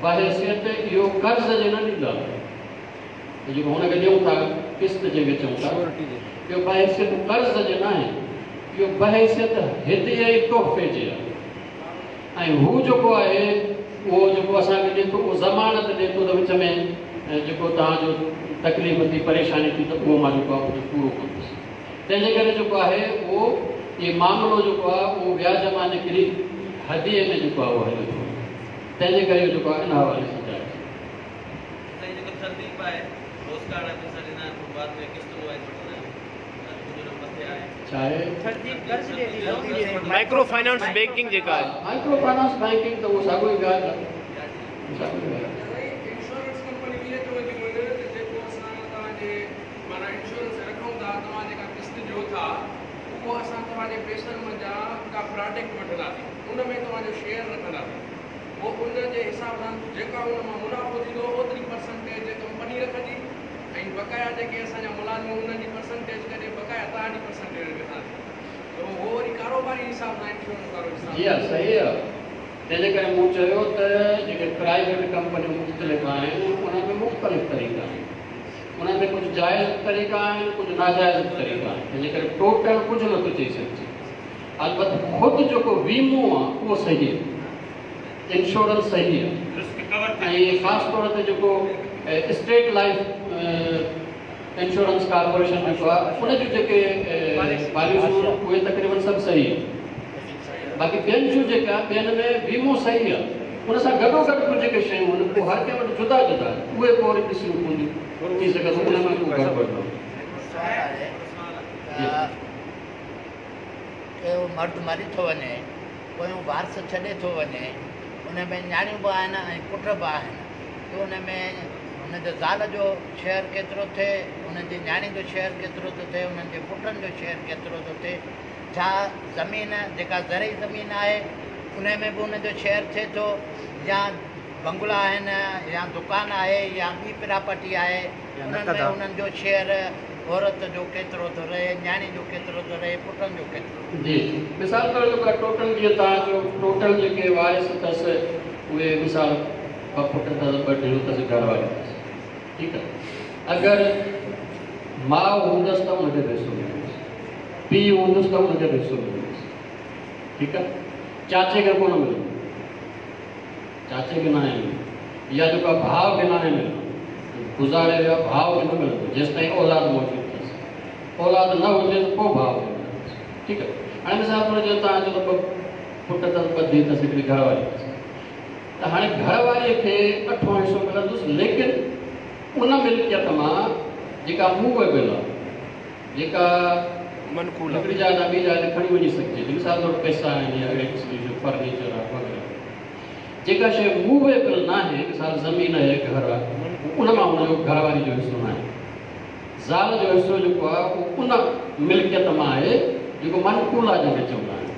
بحيثيت اهو قرض جي نه ڏيندا ته جيڪو هن کي ڏيون ٿا قسط جنهن کي چئون ٿا اهو بحيثيت قرض جي ناهي اهو بحيثيت هديي ۽ تحفي جي آهي ۽ هو جيڪو آهي اهو جيڪو اسان کي ڏئي ٿو اهو ضمانت ڏئي ٿو ته وچ ۾ جيڪو توهان جو تڪليف ٿي پريشاني ٿي ته اهو مان جيڪو آهي اهو پورو ڪندس. تنهن جي ڪري جيڪو آهي اهو اهي معاملو جيڪو آهي اهو وياج مان نڪري هديي ۾ جيڪو آهي اهو هليو ٿو وڃي تنهن جي ڪري اهو جيڪو آهي ان حوالي سان جائز آهي. سائين جيڪو ٿرديپ آهي پوسٽ ڪارڊ آفيسر بعد ۾ قسطن وائيز وٺندا آهيون اڄ ڪجهه مٿي آهي. ڇا آهي؟ مائڪرو فائنانس بينڪنگ جيڪا آهي. مائڪرو فائنانس بينڪنگ ته اهو ساڳيو ئي وياج آهي. ساڳيو ئي وياج. انشورنس ڪمپنيون ائين چونديون آهن ته جيڪو اسان توهان جي معنيٰ انشورنس رکون ٿا توهان جيڪا قسط ڏيو ٿا اهو اسان توهان جي پئسن منجهان ڪا پراڊڪٽ وٺنداسين ان ۾ توهان جو شيئر رکنداسين پوء ان جي حساب سان جيڪا ان مان منافعو ٿيندو اوتري پرسنٽيج ڪمپني رکندي ۽ بقايا جيڪي اسان جا ملازم انهن جي پرسنٽيج ڪڍي بقايا توهان جي پرسنٽيج رکنداسين ته اهو وري ڪاروباري حساب سان انشورنس وارو حساب. جي ها صحيح آهي تنهن جي ڪري مون چيو ته جيڪي پرائيويٽ ڪمپنيون مختلف آهن انهن ۾ مختلف طريقا آهن انهن ۾ ڪجهه جائز به طريقا آهن ڪجهه ناجائز به طريقا آهن تنهن جي ڪري ٽوٽل ڪجهه نٿو چئي سگهجي البت خود جيڪو ويمو آهي اهو صحيح آهي انشورنس صحيح آهي ۽ خاص طور تي جيڪو اسٽيٽ لائيف انشورنس ڪارپوريشن جيڪو آهي ان جون جيڪي پاليسيون اهي تقريبن سڀ صحيح آهن باقي ٻين جون جيڪا ٻين ۾ ويمو صحيح آهي ان سان گڏو گڏ ڪجهه جيڪي شيون آهن اهي هر ڪنهن وٽ جدا جدا آهن اهي پوء وري ڏسڻيون پونديون ٿي سگهي ٿو ان ۾ ڪو گڙٻڙ نه هجي. سوال آهي ته ڪو مرد مري ٿو وڃي پويون وارث ڇڏي ٿو وڃي ان ۾ نياڻيون به آهن ۽ پٽ به آهن ته ان ۾ هن جي زال جو شيئر ڪيترو ٿئي انهن جي نياڻين جو شيئر ڪيترو ٿو ٿئي انهن جي پٽن جو شيئر ڪيترو ٿو ٿئي ڇا زمين جيڪا زرعي زمين آهي ان ۾ به ان جو شيئر ٿئي ٿو يا بنگلا آهن يا دڪان آهي يا ٻي پراپرٽي آهي انهن ۾ انهن جو شيئر عورت جو ڪيترو ٿو رهي نياڻي جو ڪيترو ٿو رهي پٽن جو ڪيترو ٿو جي مثال طور جيڪو ٽوٽل جيئن توهان جو ٽوٽل جيڪي وارث اٿس اهي مثال ٻه پٽ اٿس ٻه ڌيئون اٿس گهر واري اٿس ٺيڪ آهي اگر ماء هوندس ته ان کي به حصو ملندس پيء هوندس ته ان کي به حصو ملندس ٺيڪ آهي چاچي کي ڪونه ملندو چاچي کي ناهي ملندو يا جيڪو آهي ڀاء کي ناهي ملندو گذاري ويو آهي ڀاء کي نه ملندو جيستائين اولاد موجود اٿس اولاد نه هجي ته پوء ڀاء کي ملندس ٺيڪ آهي هاڻي مثال طور جيئن توهان چئو ته ٻه پٽ اٿس ٻه ڌيء اٿس هڪڙي گهر واري اٿس ته هاڻي گهر واريء کي اٺون حصو ملندس ليڪن ان ملڪيت مان جيڪا موويبل آهي جيڪا منقول آهي هڪڙي جاء تان ٻي جاء تي کڻي وڃي سگهجي ٿي مثال طور پئسا آهن يا اهڙي قسم جون شيون فرنيچر آهي وغيره جيڪا شيء موويبل ناهي مثال زمين آهي گهر آهي ان مان هن جو گهر واري جو حصو ناهي زال جو حصو جيڪو آهي اهو ان ملڪيت مان آهي جيڪو منقول آهي جنهن کي چوندا آهن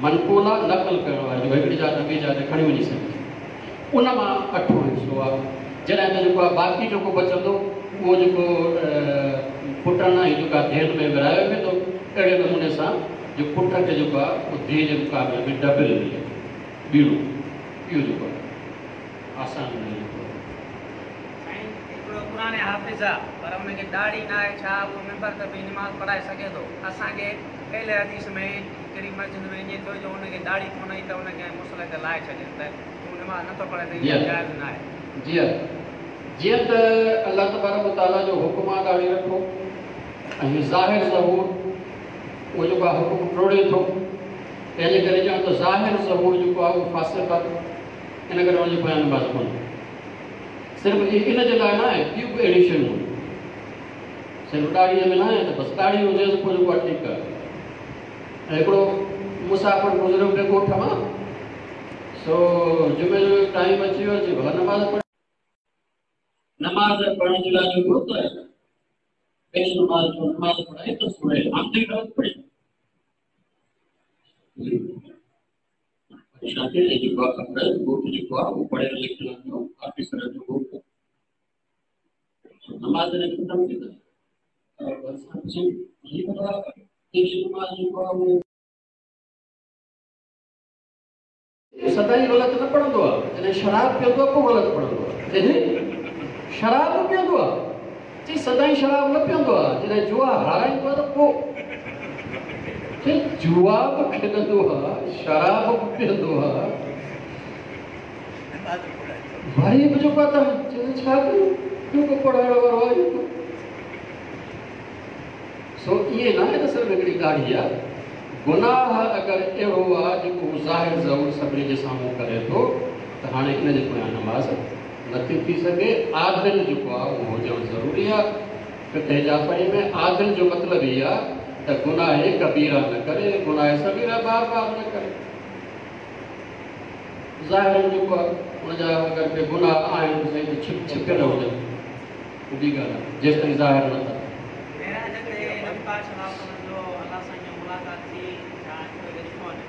منقول آهي نقل ڪرڻ واري جيڪو هڪڙي جاء تان ٻي جاء تي کڻي وڃي سگهجي ان مان اٺون حصو آهي جڏهن ته جيڪو آهي باقي جيڪو بچندو اهو جيڪو پٽن ۽ جيڪا ڌيئن ۾ ورهايو ويندو اهڙي نموني سان جو پٽ کي جيڪو آهي اهو ڌيء جي مقابلي ۾ ڊبل ملي ٻيڻو اهو جيڪو آهي آسان جيڪو آهي. سائين هڪڙو قرآن حافظ آ پر ان کي ڏاڙهي ناهي ڇا اهو منبر تي بيهي نماز پڙهائي سگهي ٿو اسان کي اهل حديث ۾ هڪڙي مسجد ۾ ائين ٿيو جو ان کي ڏاڙهي ڪونه هئي ته ان کي مصلي تي لاهي ڇڏين ته تون نماز نٿو پڙهين ته اها جائز ناهي. جي ها جيئن ته الله تبارڪ و تعاليٰ جو حڪم آ ڏاڙهي رکو ۽ ظاهر ظهور اهو جيڪو آ حڪم ٽوڙي ٿو تنهن جي ڪري ڄڻ ته ظاهر ظهور جيڪو آ اهو فاسق آ ان ڪري ان جي پويان نماز ڪونهي صرف ان جي لاء ناهي ٻيون به اهڙيون شيون آهن صرف ڏاڙهيء ۾ ناهي ته بس ڏاڙهي هجيس پوء جيڪو آهي ٺيڪ آهي ۽ هڪڙو مسافر گذريو پئي ڳوٺ مان سو جمعي جو ٽائيم اچي ويو چي ڀلا نماز پڙهي نماز پڙهڻ جي لاء جو ويو ته پيش نماز جو نماز پڙهائي ته سورة حمد غلط پڙهي پريشان ٿي ۽ جيڪو آهي خبر ڳوٺ جيڪو آهي اهو پڙهيل لکيل جو آفيسر جو ڳوٺ نماز جڏهن ختم ٿي ته ڀرسان پڇيائين هي ڀلا پيش نماز جيڪو آهي اهو سدائين غلط نه پڙهندو آهي جڏهن شراب پيئندو آهي پوء غلط پڙهندو آهي جڏهن شراب پيئندو آهي چي سدائين شراب نه پيئندو آهي جڏهن جوا هارائيندو آهي ته پوء چي جوا به کيڏندو آهي شراب به پيئندو آهي وري به جيڪو آهي ته چي ڇا ڪيون ٻيو ڪو پڙهائڻ وارو آهي ئي ڪونه سو ائين ناهي ته صرف هڪڙي ڏاڙهي آهي گناهه اگر اهڙو آهي جيڪو هو ظاهر ظهور سڀني جي سامهون ڪري ٿو ته هاڻي ان جي پويان نماز نٿي ٿي سگهي. عادل جيڪو آهي اهو هجڻ ضروري آهي. فقه جعفري ۾ عادل جو مطلب هي آ ته گناهه ڪبيره نه ڪري، گناهه صغيره بار بار نه ڪري. ظاهراً جيڪو آ ان جا اگر ڪي گناهه آهن ته سائين ته ڇپ ڇپيل هجن اها ٻي ڳالهه آ جيستائين ظاهر نه ٿا ٿين. معراج تي نبي پاڪ صلي الله عليه وسلم جو الله سائين جو ملاقات ٿي ڇا هڪ ٻئي کي ڏٺو نه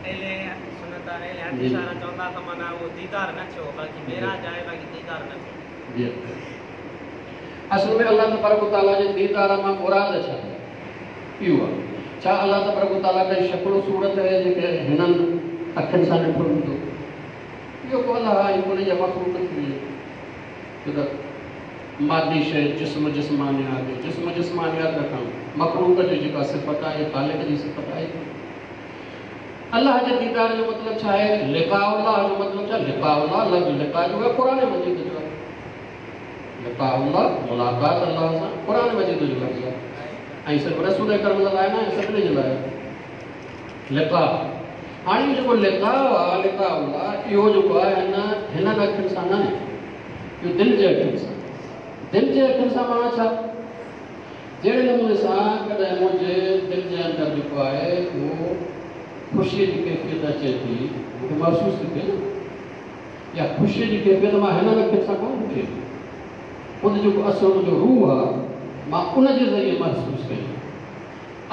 اهل سنت وارا اهل حديث وارا چوندا ته معنيٰ اهو ديدار نه ٿيو باقي معراج آهي باقي ديدار نه ٿيو. جي اصل ۾ الله تبارڪ و تعاليٰ جي ديدار مان مراد ڇا آهي؟ اهو آهي ڇا الله تبارڪ و تعاليٰ ڪائي شڪل و صورت آهي جيڪي هنن اکين سان ڏٺو ويندو؟ اهو ڪو الله آهي ڪونهي يا مخلوق ٿي وئي ڇو ته مادي شيء جسم جسمانيات جسم جسمانيات رکڻ مخلوق جي جيڪا صفت آهي خالق جي صفت آهي. الله جي ديدار جو مطلب ڇا آهي؟ لقاء الله جو مطلب ڇا؟ لقاء الله لفظ لقاء جو آهي قرآن مجيد جو آهي. لقاء الله ملاقات الله سان قرآن مجيد جو لفظ آهي ۽ صرف رسول اڪرم جي لاء نه آهي سڀني جي لاء آهي. لقاء هاڻي اهو جيڪو لقاء آهي لقاء الله اهو جيڪو آهي هن هنن اکين سان نه آهي اهو دل جي اکين سان دل جي اکين سان معنيٰ ڇا؟ جهڙي نموني سان ڪڏهن منهنجي دل جي اندر جيڪو آهي اهو خوشيء جي ڪيفيت اچي ٿي، مون کي محسوس ٿي ٿئي نه، اها خوشيء جي ڪيفيت مان هنن اکين سان ڪونه ڏٺي آهي، خود جيڪو اصل منهنجو روح آهي، مان ان جي ذريعي محسوس ڪئي آهي.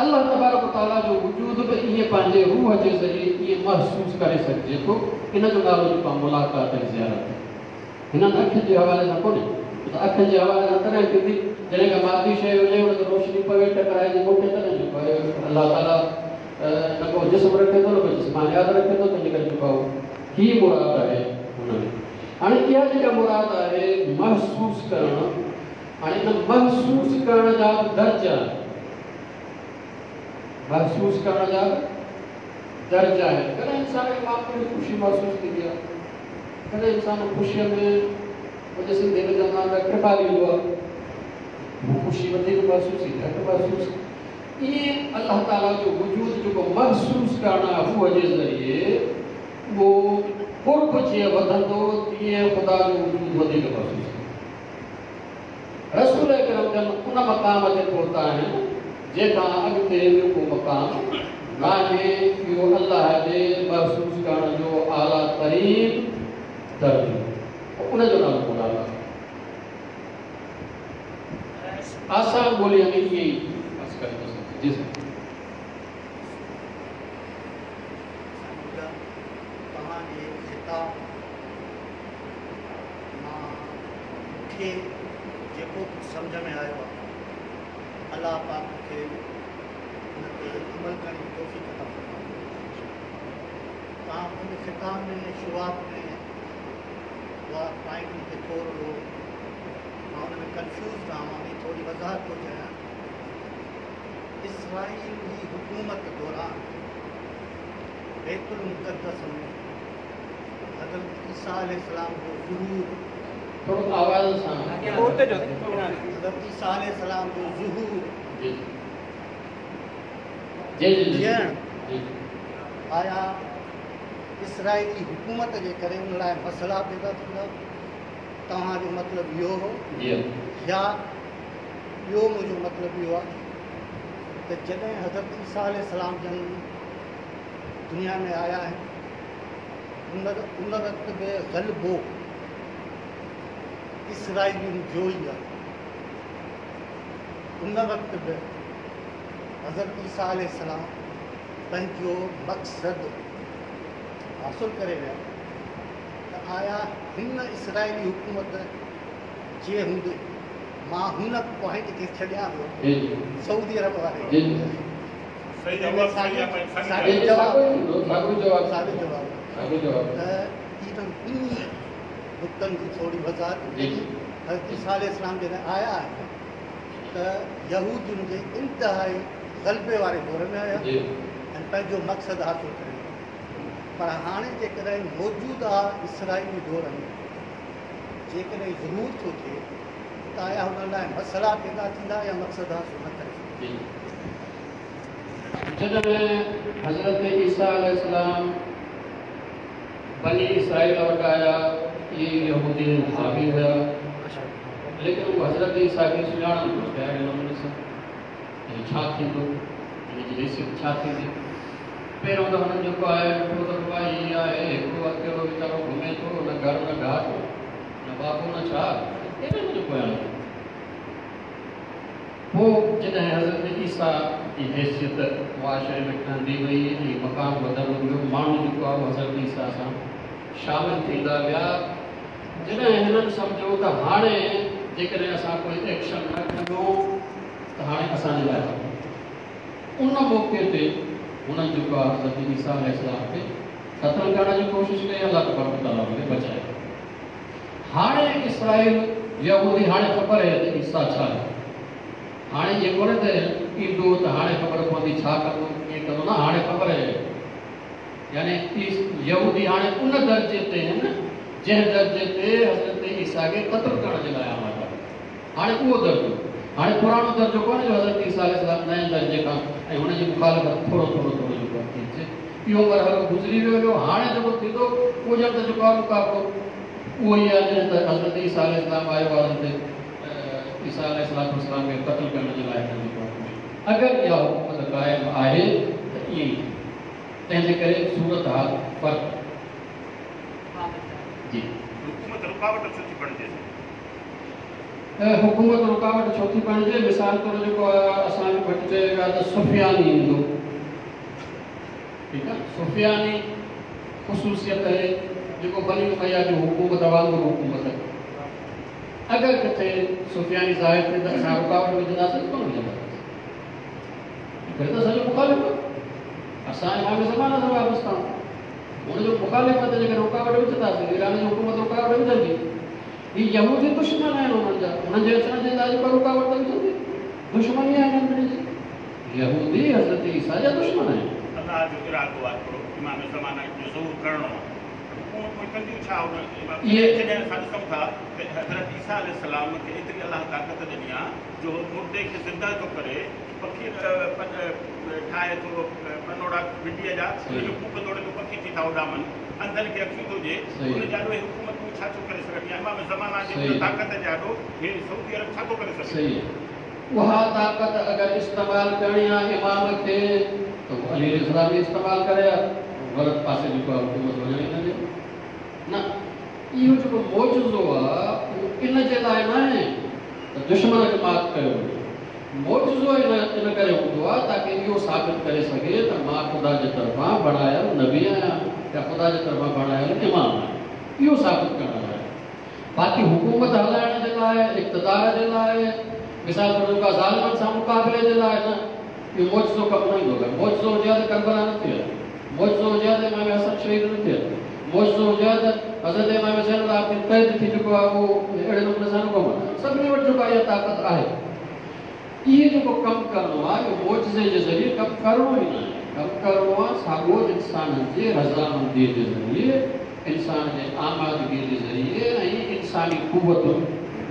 الله تبارڪ و تعاليٰ جو وجود به ائين پنهنجي روح جي ذريعي ائين محسوس ڪري سگهجي ٿو، ان جو نالو جيڪو آهي ملاقات ۽ زيارت آهي. هنن اکين جي حوالي سان ڪونهي، ڇو ته اکين جي حوالي سان تڏهن ٿيندي جڏهن ڪا مادي شيء هجي، ان تي روشني پوي، ٽڪرائجي مونکي تڏهن جيڪو آهي الله تعاليٰ نه ڪو جسم رکي ٿو نه ڪو جسمانيات رکي ٿو، تنهنجي ڪري جيڪو آهي هي مراد آهي هن ۾. هاڻي اها جيڪا مراد آهي محسوس ڪرڻ، هاڻي ان محسوس ڪرڻ جا به درجا آهن. محسوس ڪرڻ جا به درجا آهن. ڪڏهن انسان کي معمولي خوشي محسوس ٿيندي آهي. ڪڏهن انسان خوشيء ۾ منهنجي سنڌي ۾ چوندا آهن ته ٽپا ڏيندو آهي. هو خوشي وڌيڪ محسوس ٿي گهٽ محسوس. ائين الله تعاليٰ جو وجود جيڪو محسوس ڪرڻ آهي روح جي ذريعي اهو قرب جيئن وڌندو تيئن خدا جو وجود وڌيڪ محسوس ٿيندو. رسول اڪرم جن ان مقام تي پهتا آهن جنهن کان اڳتي ٻيو ڪو مقام ناهي، اهو الله جي محسوس ڪرڻ جو اعليٰ ترين درجو ان جو نالو ملاقات. آسان ٻوليء ۾ ائين ئي عرض ڪري ٿو سگهجي. جي سائين. سائين منهنجا توهان جي خطاب مان مون کي جيڪو ڪجهه سمجهه ۾ آيو آهي الله پاڪ مون کي ان تي عمل ڪرڻ جي توفيق عطا فرمائي. توهان پنهنجي خطاب ۾ شروعات ۾ اها پوائنٽ مون کي ٿورڙو مان ان ۾ ڪنفيوز آهيان مان ان جي ٿوري وضاحت ٿو چاهيان. اسرائيل جي حڪومت دوران بيت المقدس ۾ حضرت عيسيٰ عليه السلام جو ظهور ٿورو آواز سان. حضرت عيسيٰ عليه السلام جو ظهور جي جي جي ٿيڻ جي آيا اسرائيلي حڪومت جي ڪري ان لاء مسئلا پيدا ٿيندا؟ توهان جو مطلب اهو هو؟ جي يا ٻيو منهنجو مطلب اهو آهي ته جڏهن حضرت عيسيٰ عليه السلام جن دنيا ۾ آيا آهن ان وقت به غلبو اسرائيلين جو ئي آهي. ان وقت به حضرت عيسيٰ عليه السلام پنهنجو مقصد حاصل ڪري ويا ته آيا هن اسرائيلي حڪومت جي هوندي مان هن پوائنٽ کي ڇڏيان ٿو سعودي عرب واري ساڳيو جواب ته انهن ٻنهي نقطن جي ٿوري وضاحت ڪئي. حضرت عيسيٰ عليه السلام جڏهن آيا آهن ته يهودين جي انتهائي غلبي واري دور ۾ آيا ۽ پنهنجو مقصد حاصل ڪري ويا پر هاڻي جيڪڏهن موجوده اسرائيلي دور ۾ جيڪڏهن ظهور ٿو ٿئي ته آيا هنن لاء مسئلا پيدا ٿيندا يا مقصد حاصل نه ڪري سگهندا؟ جڏهن حضرت عيسيٰ عليه السلام بني اسرائيل وٽ آيا، اهي يهودي حاوي هيا. ليڪن اهو حضرت عيسيٰ کي سڃاڻن ٿو ته اهڙي نموني سان ته ڇا ٿيندو، هن جي حيثيت ڇا ٿيندي. پهريون ته هنن جيڪو آهي ڏٺو ته بابا هي آهي هڪڙو اڪيلو ويچارو گهمي ٿو، نه گهر نه گهاٽ، نه بابو نه ڇا، ڪيڏي هن جو پويان لڳو. پوء جڏهن حضرت عيسيٰ جي حيثيت معاشري ۾ ٺهندي وئي ۽ مقام وڌندو ويو، ماڻهو جيڪو آهي اهو حضرت عيسيٰ سان شامل ٿيندا ويا. جڏهن هنن سمجهيو ته هاڻي جيڪڏهن اسان ڪوئي ايڪشن نه کنيو ته هاڻي اسان جي لاء خطرو. ان موقعي تي هنن جيڪو آهي حضرت عيسيٰ عليه السلام کي قتل ڪرڻ جي ڪوشش ڪئي، الله تبارڪ وتعاليٰ ان کي بچايو. هاڻي اسرائيل يهودي هاڻي خبر آهي ته عيسيٰ ڇا آهي. هاڻي ائين ڪونهي ته ايندو ته هاڻي خبر پوندي ڇا ڪندو ڪيئن ڪندو نه هاڻي خبر آهي. يعني يهودي هاڻي ان درجي تي آهن جنهن درجي تي حضرت عيسيٰ کي قتل ڪرڻ جي لاء آماده هئا. هاڻي اهو درجو هاڻي پراڻو درجو ڪونهي جو حضرت عيسيٰ عليه السلام نئين درجي کان ۽ هن جي مخالفت ٿورو ٿورو ٿورو جيڪو آهي ٿي اچي. اهو مرحلو گذري ويو هليو هاڻي جيڪو ٿيندو اهو ڄڻ ته جيڪو آهي مقابلو اهو ئي آهي جڏهن ته حضرت عيسيٰ عليه السلام آيو آهي حضرت عيسيٰ عليه الصلوة والسلام کي قتل ڪرڻ جي لاء هنن جيڪو آهي ڪوشش اگر اها حڪومت قائم آهي ته ائين ئي ٿيندو تنهن جي ڪري صورتحال فرق جي. حڪومت رڪاوٽ ڇو ٿي بڻجي؟ حڪومت رڪاوٽ ڇو ٿي بڻجي؟ مثال طور جيڪو اسان کي ڀٽ چيو ويو آهي ته سفياني ايندو ٺيڪ آهي سفياني خصوصيت آهي جيڪو بني اميه جي حڪومت وانگر حڪومت اگر ڪٿي سفياني ظاهر ٿئي ته اسان رڪاوٽ وجهنداسين ڪونه وجهنداسين ڪري ته اسان جو مخالف آهي اسان امام زمانه سان وابسته آهيون هن جو مخالف آهي ته جيڪڏهن رڪاوٽ وجهنداسين ايران جي حڪومت رڪاوٽ وجهندي هي يهودي دشمن آهن انهن جا انهن جي اچڻ جي لاء جيڪا رڪاوٽ ته وجهندي دشمني آهي انهن ٻنهي جي يهودي حضرت عيسيٰ جا دشمن آهن. الله جو ارادو آهي هڪڙو امام زمانه جو ظهور ڪرڻو آهي ته حڪومت پوء ڪنديون ڇا ان جڏهن اسان ڏسون ٿا ته حضرت عيسيٰ عليه السلام کي ايتري الله طاقت ڏني آهي جو هو مردي کي زنده ٿو ڪري پکي ٺاهي ٿو پنوڙا مٽيء جا ان کي ڦوڪ توڙي ٿو پکي ٿي ٿا اڏامن انڌن کي اکيون ٿو ڏئي ان جي آڏو هي حڪومتون ڇا ٿيون ڪري سگهن يا امام زمانه جي ان طاقت جي آڏو هي سعودي عرب ڇا ٿو ڪري سگهي. اها طاقت اگر استعمال ڪرڻي آ امام کي ته هو علي عليه السلام ئي استعمال ڪري ها غلط پاسي جيڪو آ حڪومت وڃڻ ئي نه ڏي نه اهو جيڪو معجزو آ اهو ان جي لاء ناهي ته دشمن کي مات ڪيو وڃي. معجزو ان ڪري هوندو آهي تاڪه اهو ثابت ڪري سگهي ته مان خدا جي طرفان بڻايل نبي آهيان يا خدا جي طرفان بڻايل امام آهيان. اهو ثابت ڪرڻ لاء. باقي حڪومت هلائڻ جي لاء، اقتدار جي لاء، مثال طور جيڪو آهي ظالمن سان مقابلي جي لاء نه. اهو معجزو ڪم نه ايندو. اگر معجزو هجي ها ته ڪربلا نه ٿئي ها. معجزو هجي ها ته امام حسن شهيد نه ٿئي ها. معجزو هجي ها ته حضرت امام زين العابدين قيد ٿي چڪو آهي اهو اهڙي نموني سان نه گم آهي. سڀني وٽ جيڪو آهي اها طاقت آهي. اهي جيڪو ڪم ڪرڻو آهي اهو معجزي جي ذريعي ڪم ڪرڻو ئي ناهي. ڪم ڪرڻو آهي ساڳو انسانن جي رضامنديء جي ذريعي، انسان جي آمادگيء جي ذريعي ۽ انساني قوتن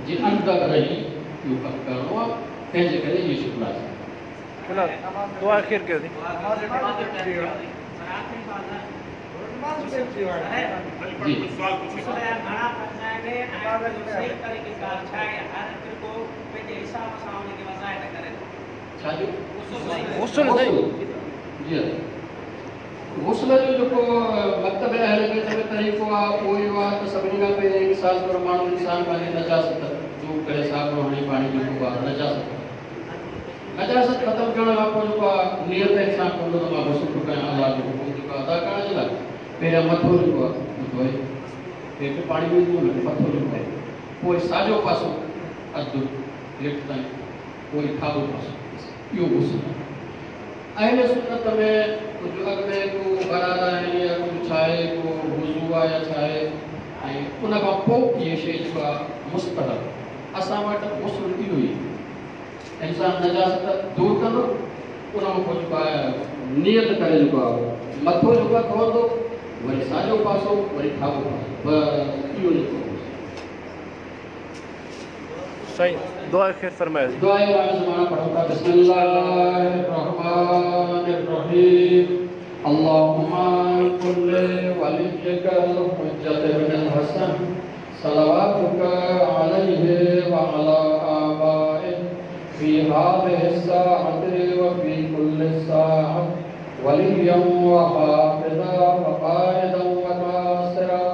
جي اندر رهي اهو ڪم ڪرڻو آهي. تنهن جي ڪري اهي شيون لازم آهن. دعا خير ڪيو سين. جي. ڇا جو؟ غسل سائين. جي ها غسل جو جيڪو مڪتب اهل بيت ۾ طريقو آهي اهو اهو آهي ته سڀني کان پهرين مثال طور ماڻهو انسان پنهنجي نجاست دور ڪري صابڻ هڻي پاڻي جيڪو آهي نجاست نجاست ختم ڪرڻ کان پوء جيڪو آهي نيت انسان ڪندو ته مان غسل ٿو ڪيان الله جو حڪم جيڪو آهي ادا ڪرڻ جي لاء پهريان مٿو جيڪو آهي ڌوئي هيٺ پاڻي وجهندو نه مٿو جيڪو آهي پوء ساڄو پاسو اڌ هيٺ تائين پوء کاٻو پاسو اهو غسل آهي. اهل سنت ۾ ڪجهه اڳ ۾ ڪو غرارا آهن يا ڪجهه ڇا آهي ڪو وضو آهي يا ڇا آهي ۽ ان کان پوء اهي شيء جيڪا مستحب اسان وٽ غسل اهو ئي آهي انسان نجاست دور ڪندو ان کان پوء جيڪو آهي نيت ڪري جيڪو آهي مٿو جيڪو آهي ڌوئندو وري ساڄو پاسو وري کاٻو پاسو بس اهو جيڪو سائين دعا خير فرمايو. دعا امام زمانه پڙهون ٿا بسم الله الرحمن الرحيم اللهم كن لوليك الحجة بن الحسن. صلواتك عليه وعلى آبائه في هذه الساعة وفي كل ساعة وليا وحافظا وقائدا وناصرا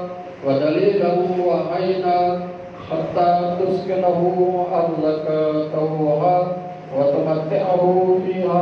ودليلا وعينا حتى تسكنه أرضك طوعا وتمتعه فيها.